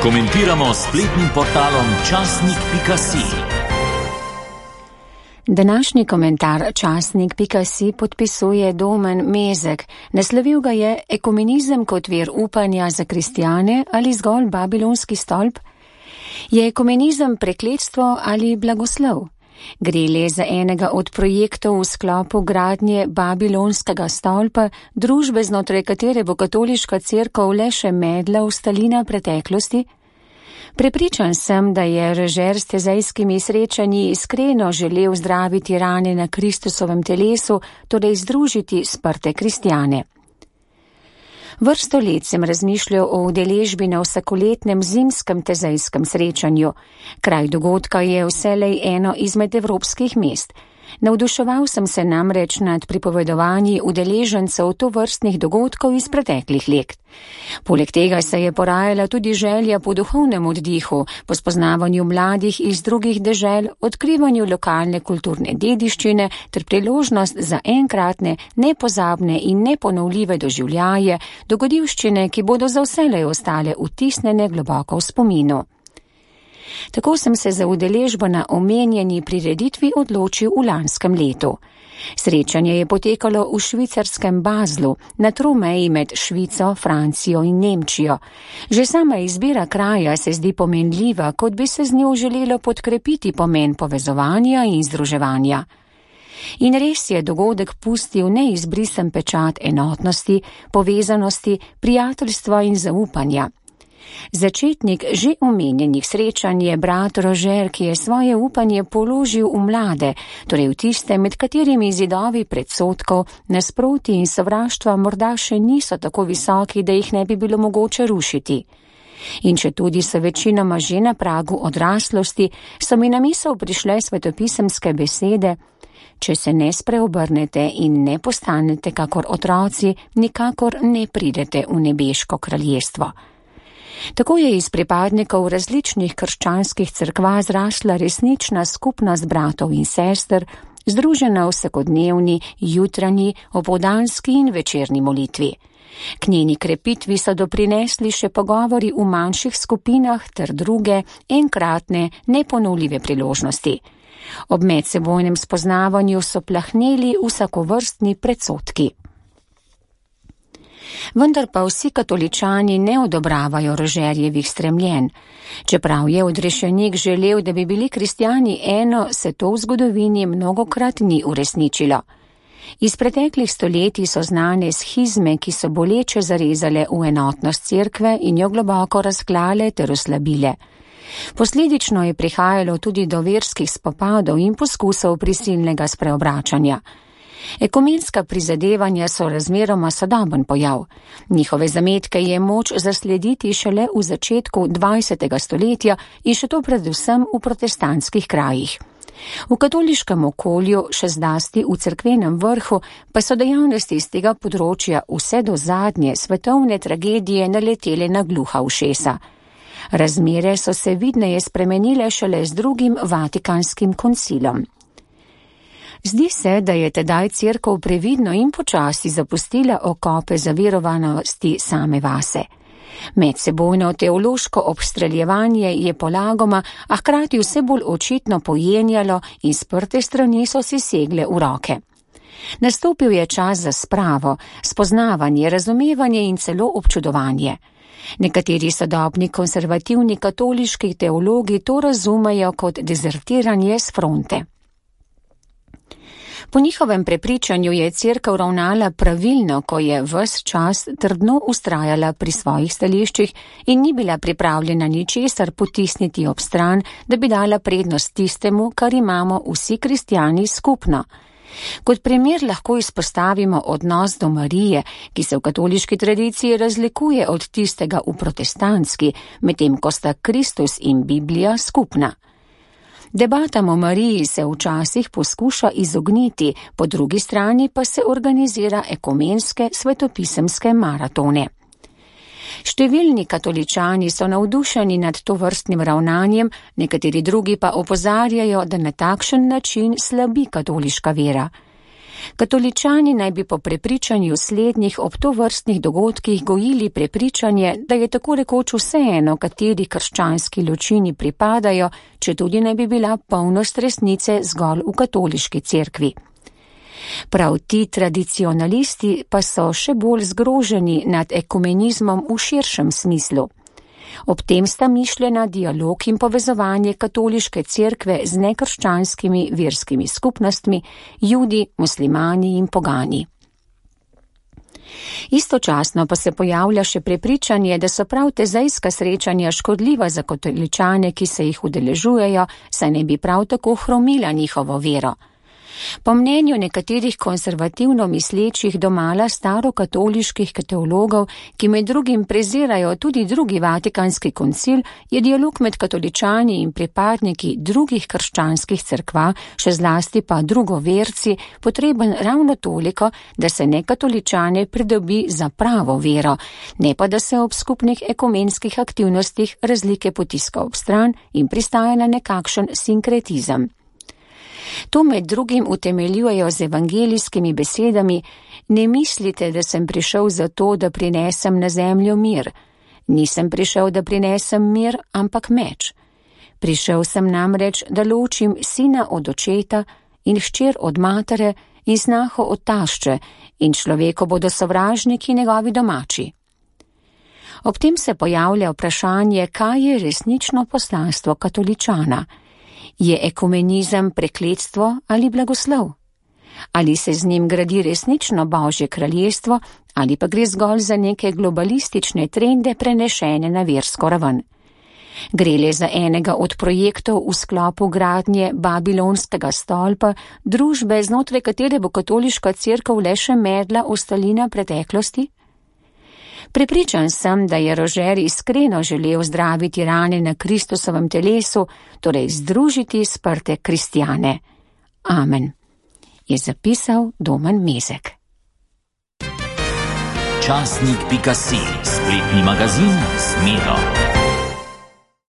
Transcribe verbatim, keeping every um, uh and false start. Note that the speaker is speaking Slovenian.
Komentiramo s spletnim portalom časnik pika si. Današnji komentar časnik pika si podpisuje Domen Mezek. Naslovil ga je Ekumenizem kot vir upanja za kristjane ali zgolj babilonski stolp? Je ekumenizem prekletstvo ali blagoslov? Gre le za enega od projektov v sklopu gradnje babilonskega stolpa, družbe, znotraj katere bo katoliška cerkev le še medla v stalina preteklosti? Prepričan sem, da je režer s tezejskimi srečanji iskreno želel zdraviti rane na Kristusovem telesu, torej združiti sprte kristjane. Vrsto let sem razmišljal o udeležbi na vsakoletnem zimskem tezejskem srečanju. Kraj dogodka je vselej eno izmed evropskih mest. Navduševal sem se namreč nad pripovedovanji udeležencev tovrstnih dogodkov iz preteklih let. Poleg tega se je porajala tudi želja po duhovnem oddihu, po spoznavanju mladih iz drugih dežel, odkrivanju lokalne kulturne dediščine ter priložnost za enkratne, nepozabne in neponovljive doživljaje, dogodivščine, ki bodo za vselej ostale vtisnjene globoko v spominu. Tako sem se za udeležbo na omenjeni prireditvi odločil v lanskem letu. Srečanje je potekalo v švicarskem Baslu, na tromeji med Švico, Francijo in Nemčijo. Že sama izbira kraja se zdi pomenljiva, kot bi se z njo želelo podkrepiti pomen povezovanja in združevanja. In res je dogodek pustil neizbrisen pečat enotnosti, povezanosti, prijateljstva in zaupanja. Začetnik že omenjenih srečanj je brat Rožer, ki je svoje upanje položil v mlade, torej v tiste, med katerimi zidovi predsodkov, nasproti in sovraštva morda še niso tako visoki, da jih ne bi bilo mogoče rušiti. In če tudi so večinoma že na pragu odraslosti, so mi na misel prišle svetopisemske besede: če se ne spreobrnete in ne postanete kakor otroci, nikakor ne pridete v nebeško kraljestvo. Tako je iz pripadnikov različnih krščanskih cerkva zrasla resnična skupnost bratov in sester, združena v vsakodnevni, jutranji, opoldanski in večerni molitvi. K njeni krepitvi so doprinesli še pogovori v manjših skupinah ter druge, enkratne, neponovljive priložnosti. Ob medsebojnem spoznavanju so plahneli vsakovrstni predsodki. Vendar pa vsi katoličani ne odobravajo Rožerjevih stremljenj. Čeprav je odrešenik želel, da bi bili kristjani eno, se to v zgodovini mnogokrat ni uresničilo. Iz preteklih stoletij so znane schizme, ki so boleče zarezale v enotnost cerkve in jo globoko razklale ter oslabile. Posledično je prihajalo tudi do verskih spopadov in poskusov prisilnega spreobračanja. Ekumenska prizadevanja so razmeroma sodoben pojav. Njihove zametke je moč zaslediti šele v začetku dvajsetega stoletja in še to predvsem v protestantskih krajih. V katoliškem okolju, še zlasti v cerkvenem vrhu, pa so dejavnosti iz tega področja vse do zadnje svetovne tragedije naletele na gluha ušesa. Razmere so se vidneje spremenile šele z drugim Vatikanskim koncilom. Zdi se, da je tedaj cerkev previdno in počasi zapustila okope zaverovanosti same vase. Medsebojno teološko obstreljevanje je polagoma, a hkrati vse bolj očitno pojenjalo in sprte strani so si segle v roke. Nastopil je čas za spravo, spoznavanje, razumevanje in celo občudovanje. Nekateri sodobni konservativni katoliški teologi to razumejo kot dezertiranje s fronte. Po njihovem prepričanju je cerkev ravnala pravilno, ko je ves čas trdno vztrajala pri svojih stališčih in ni bila pripravljena ničesar potisniti ob stran, da bi dala prednost tistemu, kar imamo vsi kristjani skupno. Kot primer lahko izpostavimo odnos do Marije, ki se v katoliški tradiciji razlikuje od tistega v protestantski, medtem ko sta Kristus in Biblija skupna. Debatam o Mariji se včasih poskuša izogniti, po drugi strani pa se organizira ekumenske svetopisemske maratone. Številni katoličani so navdušeni nad tovrstnim ravnanjem, nekateri drugi pa opozarjajo, da na takšen način slabi katoliška vera. Katoličani naj bi po prepričanju slednjih ob tovrstnih dogodkih gojili prepričanje, da je tako rekoč vseeno, kateri krščanski ločini pripadajo, če tudi ne bi bila polnost resnice zgolj v katoliški cerkvi. Prav ti tradicionalisti pa so še bolj zgroženi nad ekumenizmom v širšem smislu. Ob tem sta mišljena dialog in povezovanje katoliške cerkve z nekrščanskimi verskimi skupnostmi, judi, muslimani in pogani. Istočasno pa se pojavlja še prepričanje, da so prav tezejska srečanja škodljiva za katoličane, ki se jih udeležujejo, saj ne bi prav tako hromila njihovo vero. Po mnenju nekaterih konservativno mislečih domala starokatoliških teologov, ki med drugim prezirajo tudi drugi vatikanski koncil, je dialog med katoličani in pripadniki drugih krščanskih cerkva, še zlasti pa drugoverci, potreben ravno toliko, da se nekatoličane pridobi za pravo vero, ne pa da se ob skupnih ekumenskih aktivnostih razlike potiska ob stran in pristaja na nekakšen sinkretizem. To med drugim utemeljujejo z evangelijskimi besedami: ne mislite, da sem prišel zato, da prinesem na zemljo mir. Nisem prišel, da prinesem mir, ampak meč. Prišel sem namreč, da ločim sina od očeta in hčer od matere in snaho od tašče, in človeku bodo sovražniki njegovi domači. Ob tem se pojavlja vprašanje, kaj je resnično poslanstvo katoličana. Je ekumenizem prekletstvo ali blagoslov? Ali se z njim gradi resnično Božje kraljestvo, ali pa gre zgolj za neke globalistične trende prenešene na versko raven? Gre le za enega od projektov v sklopu gradnje Babilonskega stolpa, družbe, znotraj katere bo katoliška cerkev le še medla ostalina preteklosti? Prepričan sem, da je Rožer iskreno želel zdraviti rane na Kristusovem telesu, torej združiti sprte kristjane. Amen. Je zapisal Domen Mezek. Časnik pika si, spletni magazin s Miro.